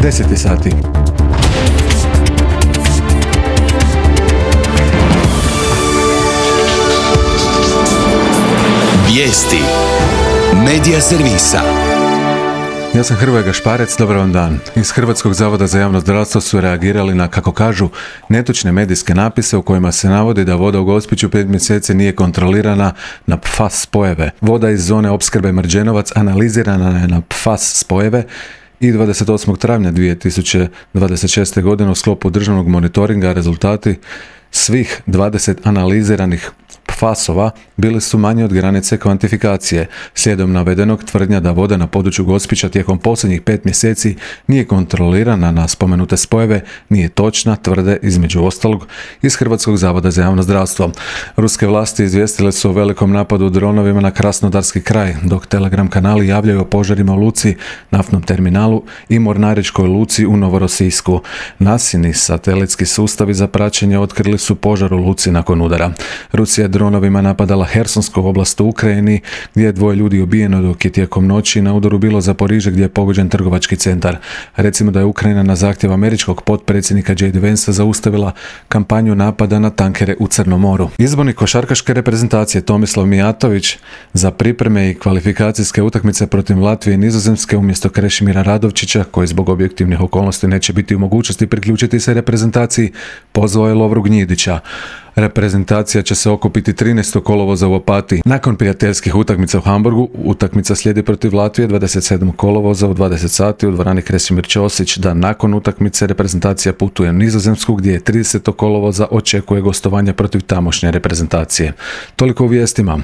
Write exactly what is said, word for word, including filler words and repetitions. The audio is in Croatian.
deseti sati. Vijesti Medija servisa. Ja sam Hrvoje Gašparec, dobar vam dan. Iz Hrvatskog zavoda za javno zdravstvo su reagirali na, kako kažu, netočne medijske napise u kojima se navodi da voda u Gospiću pet mjeseci nije kontrolirana na P F A S spojeve. Voda iz zone opskrbe Mrđenovac analizirana je na P F A S spojeve i dvadeset osmog travnja dvije tisuće dvadeset šeste. godine u sklopu državnog monitoringa rezultati svih dvadeset analiziranih P F A S-ova bili su manji od granice kvantifikacije. Slijedom navedenog, tvrdnja da voda na području Gospića tijekom posljednjih pet mjeseci nije kontrolirana na spomenute spojeve nije točna, tvrde između ostalog iz Hrvatskog zavoda za javno zdravstvo. Ruske vlasti izvijestile su o velikom napadu dronovima na Krasnodarski kraj, dok Telegram kanali javljaju o požarima u luci, naftnom terminalu i mornaričkoj luci u Novorosijsku. Nasini satelitski sustavi za praćenje otkrili su požar u luci nakon udara. Rusija dronovima napadala Hersonsku oblast u Ukrajini, gdje je dvoje ljudi ubijeno, dok je tijekom noći na udaru bilo Zaporižje, gdje je pogođen trgovački centar. Recimo da je Ukrajina na zahtjev američkog potpredsjednika J D. Vansa zaustavila kampanju napada na tankere u Crnom moru. Izbornik košarkaške reprezentacije Tomislav Mijatović za pripreme i kvalifikacijske utakmice protiv Latvije i Nizozemske umjesto Krešimira Radovčića, koji zbog objektivnih okolnosti neće biti u mogućnosti priključiti se reprezentaciji, pozvao je Lovru Gnjidića. Reprezentacija će se okupiti trinaestog kolovoza u Opatiji. Nakon prijateljskih utakmica u Hamburgu, utakmica slijedi protiv Latvije dvadeset sedmog kolovoza u dvadeset sati u dvorani Kresimir Ćosić, da nakon utakmice reprezentacija putuje u Nizozemsku, gdje je tridesetog kolovoza očekuje gostovanje protiv tamošnje reprezentacije. Toliko u vijestima.